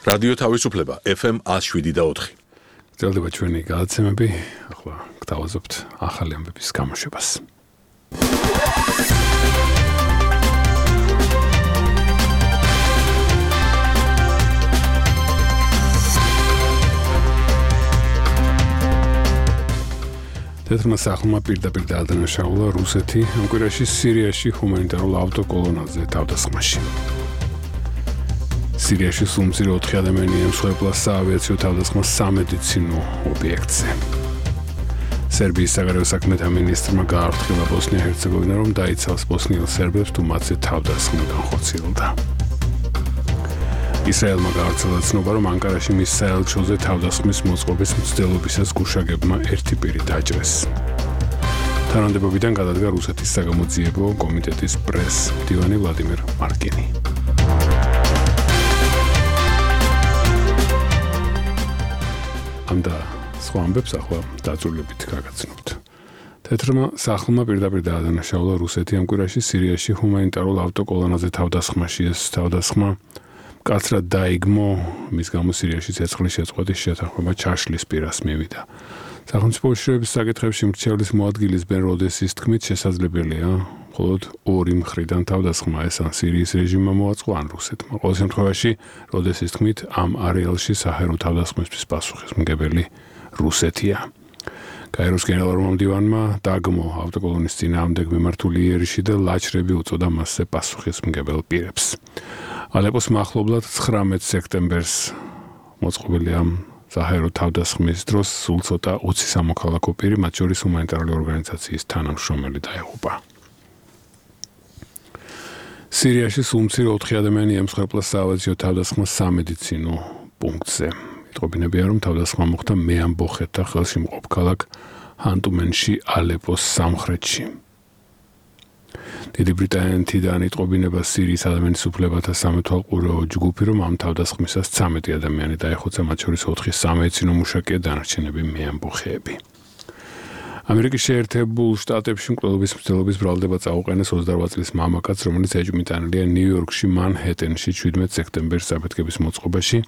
რადიო თავისუფლება FM 107.4. გრძელდება ჩვენი გადაცემები, ახლა გთავაზობთ ახალი ამბების გამოშვებას. თეთრმა სახლმა პირდაპირ დაადანაშაულა რუსეთი ამ კვირაში სირიაში ჰუმანიტარულ ავტოკოლონაზე თავდასხმაში. სირიაში სულ 4 ადამიანი ემსხვერპლა საავიაციო თავდასხმას სამედიცინო ობიექტზე. სერბიის საგარეო საქმეთა მინისტრმა გააფრთხილა ბოსნია-ჰერცეგოვინა, რომ დაიცავს ბოსნიელ სერბებს თუ მათზე თავდასხმა განხორციელდა. ისრაელმა გაავრცელა ცნობა, რომ ანკარაში მის საელჩოზე თავდასხმის მოწყობის მცდელობისას გუშაგებმა ერთი პირი დაჭრეს. თანამდებობიდან გადადგა რუსეთის საგამოძიებო კომიტეტის პრეს-მდივანი ვლადიმერ მარკინი. და სხვა ამბებს ახლა დაწვრილებით გაგაცნობთ. თეთრმა სახლმა პირდაპირ დაადანაშაულა რუსეთი ამ კვირაში სირიაში ჰუმანიტარულ ავტოკოლონაზე თავდასხმაში. ეს თავდასხმა მკაცრად დაიგმო, მის გამო სირიაში ცეცხლის შეწყვეტის შეთანხმება ჩაშლის პირას მივიდა. სახელმწიფო უშიშროების საკითხებში მრჩევლის მოადგილის ბენ როდესის თქმით შესაძლებელია მხოლოდ ორი მხრიდან თავდასხმა, ეს ან სირიის რეჟიმმა მოაწყო, ან რუსეთმა. ყოველ შემთხვევაში როდესის თქმით ამ არეალში საჰაერო თავდასხმისთვის პასუხისმგებელი რუსეთია. კაიროს გენერალურმა მდივანმა დაგმო ავტოკოლონის წინააღმდეგ მიმართული იერიში და ლაჩრები უწოდა მასზე პასუხისმგებელ პირებს. ალეპოს მახლობლად 19 სექტემბერს მოწყობილი ამ საჰაერო თავდასხმის დროს სულ ცოტა 20 სამოქალაქო პირი, მათ შორის ჰუმანიტარული ორგანიზაციის თანამშრომელი დაიღუპა. სირიაში სულ 4 ადამიანი ემსხვერპლა საავიაციო თავდასხმას სამედიცინო პუნქტზე. იტყობინებია, რომ თავდასხმა მოხდა მეამბოხეთთა ხელშემყოფ ქალაქ ჰანტუმენში, ალეპოს სამხრეთში. დიდი ბრიტანეთიდან იტყობინება სირიის ადამიანის უფლებათა სამეთვალყურეო ჯგუფი, რომ ამ თავდასხმისას 13 ადამიანი დაიხოცა, მათ შორის 4 სამედიცინო მუშაკია, დანარჩენები მეამბოხეები. ამერიკის შეერთებულ შტატებში მკვლელობის მცდელობის ბრალდება წაუყენეს 28 წლის მამაკაც, რომელიც ეჭვმიტანილია ნიუ-იორკში მანჰეტენში 17 სექტემბერს საფეთქების მოწყობაში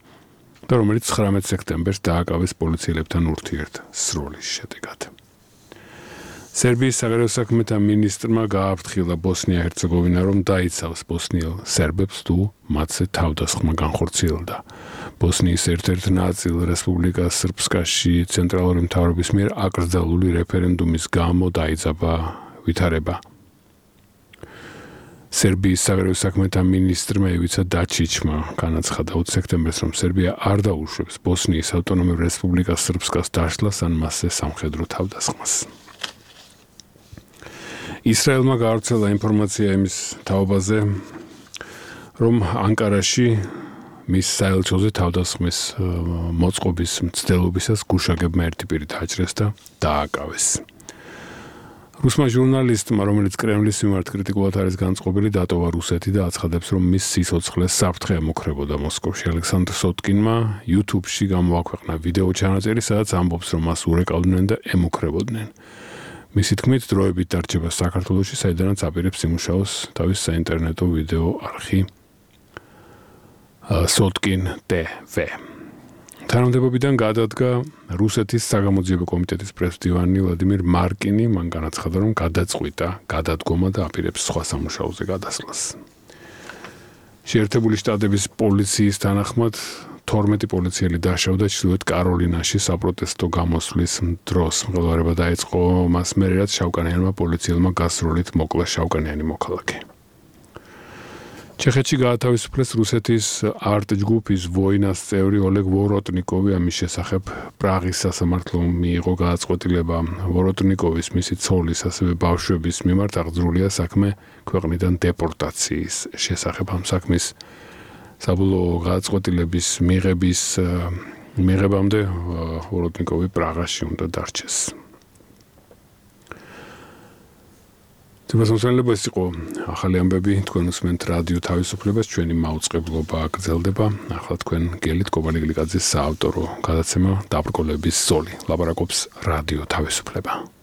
და რომელიც 19 სექტემბერს დააკავეს პოლიციელებთან ურთიერთსროლის შედეგად. სერბიის საგარეო საქმეთა მინისტრმა გააფრთხილა ბოსნია-ჰერცეგოვინა, რომ დაიცავს ბოსნიელ სერბებს თუ მათზე თავდასხმა განხორციელდა. ბოსნიის ერთ-ერთ ნაწილ რესპუბლიკა სრბსკაში ცენტრალური მთავრობის მიერ აკრძალული რეფერენდუმის გამო დაიძაბა ვითარება. სერბიის საგარეო საქმეთა მინისტრმა ივიცა დაჩიჩმა განაცხადა 20 სექტემბერს, რომ სერბია არ დაუშვებს ბოსნიის ავტონომიურ რესპუბლიკას სრბსკას დაშლას ან მასზე სამხედრო თავდასხმას. ისრაელმა გაავრცელა ინფორმაცია იმის თაობაზე, რომ ანკარაში მის საელჩოზე თავდასხმის მოწყობის მცდელობისას გუშაგებმა ერთი პირი დაჭრეს და დააკავეს. რუსმა ჟურნალისტმა, რომელიც კრემლის მიმართ კრიტიკულად არის განწყობილი, დატოვა რუსეთი და აცხადებს, რომ მის სიცოცხლეს საფრთხე ემუქრებოდა მოსკოვში. ალექსანდრ სოტკინმა YouTube-ში გამოაქვეყნა ვიდეო ჩანაწერი, სადაც ამბობს, რომ მას ურეკავდნენ და ემუქრებოდნენ. მისი თქმით, დროებით დარჩება საქართველოში, საიდანაც აპირებს იმუშაოს თავის საინტერნეტო ვიდეო არხი Sotkin TV. თანამდებობიდან გადადგა რუსეთის საგამოძიებო კომიტეტის პრეს-მდივანი ვლადიმერ მარკინი, მან განაცხადა, რომ გადაწყვიტა გადადგომა და აპირებს სხვა სამუშაოზე გადასვლას. შეერთებული შტატების პოლიციის თანახმად 12 პოლიციელი დაშავდა ჩრდილოეთ კაროლინაში საპროტესტო გამოსვლის დროს. მღელვარება დაიწყო მას მერე, რაც შავკანიანმა პოლიციელმა გასროლით მოკლა შავკანიანი მოქალაქე. ჩეხეთში გაათავისუფლეს რუსეთის არტ ჯგუფის ვოინას წევრი ოლეგ ვოროტნიკოვი. ამის შესახებ პრაღის სასამართლომ მიიღო გადაწყვეტილება. ვოროტნიკოვის, მისი ცოლის, ასევე ბავშვების მიმართ აღძრულია საქმე ქვეყნიდან დეპორტაციის შესახებ. ამ საქმის საბოლოო გადაწყვეტილების მიღებამდე ვოროტნიკოვი პრაღაში უნდა დარჩეს. თუმცა ეს იყო ახალი ამბები, თქვენ უსმენთ რადიო თავისუფლებას, ჩვენი მაუწყებლობა გრძელდება. ახლა თქვენ გელით კობალი გლიკაძის საავტორო გადაცემა დაბრკოლების ზოლი. ლაპარაკობს რადიო თავისუფლება.